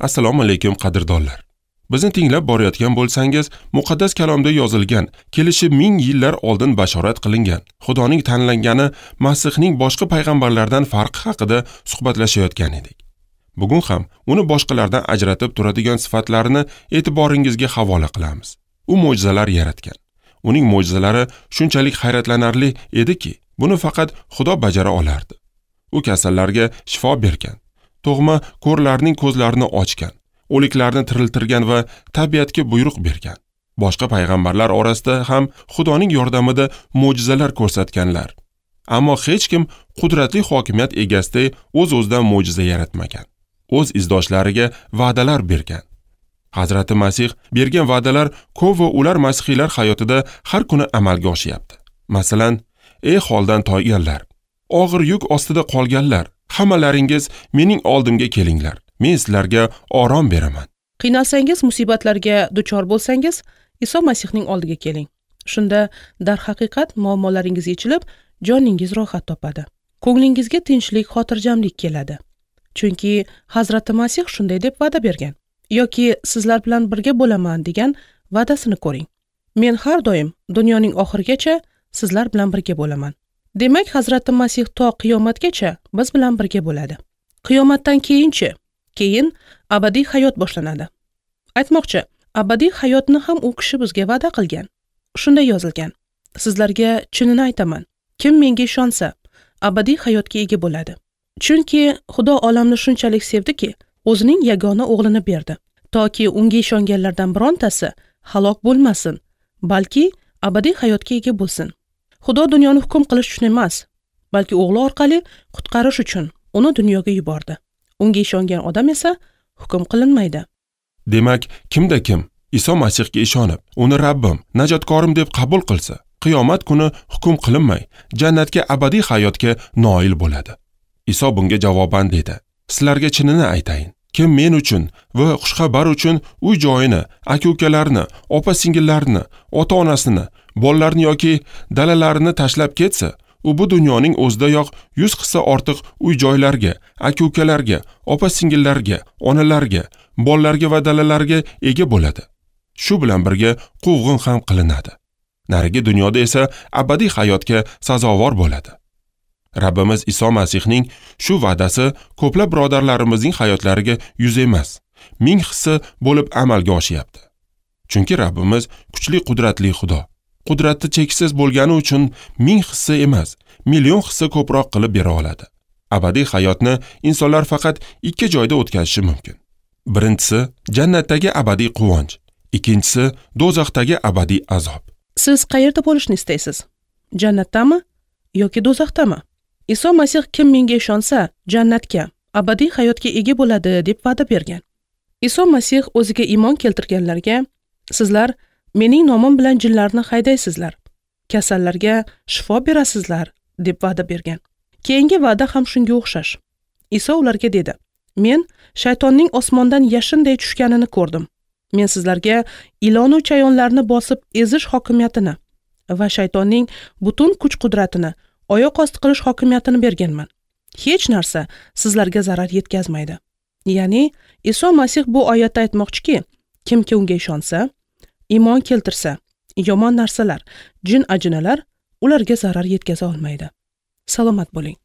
Assalomu alaykum qadrdonlar. Bizni tinglab borayotgan bo'lsangiz, muqaddas kalomda yozilgan, kelishi ming yillar oldin bashorat qilingan, Xudoning tanlangani Masihning boshqa payg'ambarlardan farqi haqida suhbatlashayotgan edik. Bugun ham uni boshqalardan ajratib turadigan sifatlarini e'tiboringizga havola qilamiz. U mo'jizalar yaratgan. Uning mo'jizalari shunchalik hayratlanarli ediki, buni faqat Xudo bajara olardi. U kasallarga shifo bergan, tug'ma ko'rlarning ko'zlarini ochgan, o'liklarni tiriltirgan va tabiatga buyruq bergan. Boshqa payg'ambarlar orasida ham Xudoning yordamida mo'jizalar ko'rsatganlar. Ammo hech kim qudratli hokimiyat egasiday o'z-o'zidan mo'jiza yaratmagan. O'z izdoshlariga va'dalar bergan. Hazrati Masih bergan va'dalar ko'p va ular masihiylar hayotida har kuni amalga oshyapti. Masalan, ey holdan toyganlar, og'ir yuk ostida qolganlar, hammalaringiz mening oldimga kelinglar. Men sizlarga orom beraman. Qiynalsangiz, musibatlarga duchor bo'lsangiz, Iso Masihning oldiga keling. Shunda darhaqiqat muammolaringiz yechilib, joningiz rohat topadi. Ko'nglingizga tinchlik, xotirjamlik keladi. Chunki Hazrati Masih shunday deb va'da bergan. Yoki sizlar bilan birga bo'laman degan va'dasini ko'ring. Men har doim dunyoning oxirigacha sizlar bilan birga bo'laman. Demak, Hazrati Masih to qiyomatgacha biz bilan birga bo'ladi. Qiyomatdan keyinchi, keyin abadiy hayot boshlanadi. Aytmoqchi, abadiy hayotni ham u kishi bizga va'da qilgan. Shunday yozilgan: Sizlarga chinini aytaman, kim menga ishonsa, abadiy hayotga ega bo'ladi. Chunki Xudo olamni shunchalik sevdiki, o'zining yagona o'g'lini berdi, toki unga ishonganlardan birontasi halok bo'lmasin, balki abadiy hayotga ega bo'lsin. Xudo dunyoni hukm qilish uchun emas, balki o'g'li orqali qutqarish uchun uni dunyoga yubordi. Unga ishongan odam esa hukm qilinmaydi. Demak, kimda kim Iso Masihga ishonib, uni Rabbim, najotkorim deb qabul qilsa, qiyomat kuni hukm qilinmay, jannatga, abadiy hayotga noil bo'ladi. Iso bunga javoban dedi: Sizlarga chinini aytayin, kim men uchun va xushxabar uchun uy joyini, aka-ukalarini, opa-singillarini, ota-onasini, bolalarini yoki dalalarini tashlab ketsa, u bu dunyoning o'zidayoq 100 hissa ortiq uy joylarga, aka-ukalarga, opa-singillarga, onalarga, bolalarga va dalalarga ega bo'ladi. Shu bilan birga quvg'in ham qilinadi. Narigi dunyoda esa abadiy hayotga sazovor bo'ladi. Rabbimiz Iso Masihning shu va'dasi ko'plab birodarlarimizning hayotlariga 100 emas, 1000 hissa bo'lib amalga oshyapti. Chunki Rabbimiz kuchli, qudratli Xudo. Qudrati cheksiz bo'lgani uchun 1000 hissa emas, million hissa ko'proq qilib bera oladi. Abadiy hayotni insonlar faqat 2 joyda o'tkazishi mumkin. Birinchisi jannatdagi abadiy quvonch, ikkinchisi do'zaxdagi abadiy azob. Siz qayerda bo'lishni istaysiz? Jannatdami yoki do'zaxdami? Iso Masih kim menga ishonsa, jannatga, abadiy hayotga ega bo'ladi deb va'da bergan. Iso Masih o'ziga iymon keltirganlarga: sizlar mening nomim bilan jinlarni haydaysizlar, kasallarga shifo berasizlar deb va'da bergan. Keyingi va'da ham shunga o'xshash. Iso ularga dedi: Men shaytonning osmondan yashinday tushganini ko'rdim. Men sizlarga ilon va chayonlarni bosib ezish hokimiyatini va shaytonning butun kuch-qudratini oyoq osti qilish hokimiyatini berganman. Hech narsa sizlarga zarar yetkazmaydi. Ya'ni Iso Masih bu oyatda aytmoqchiki, kimki unga ishonsa, iymon keltirsa, yomon narsalar, jin ajinalar ularga zarar yetkaza olmaydi. Salomat bo'ling.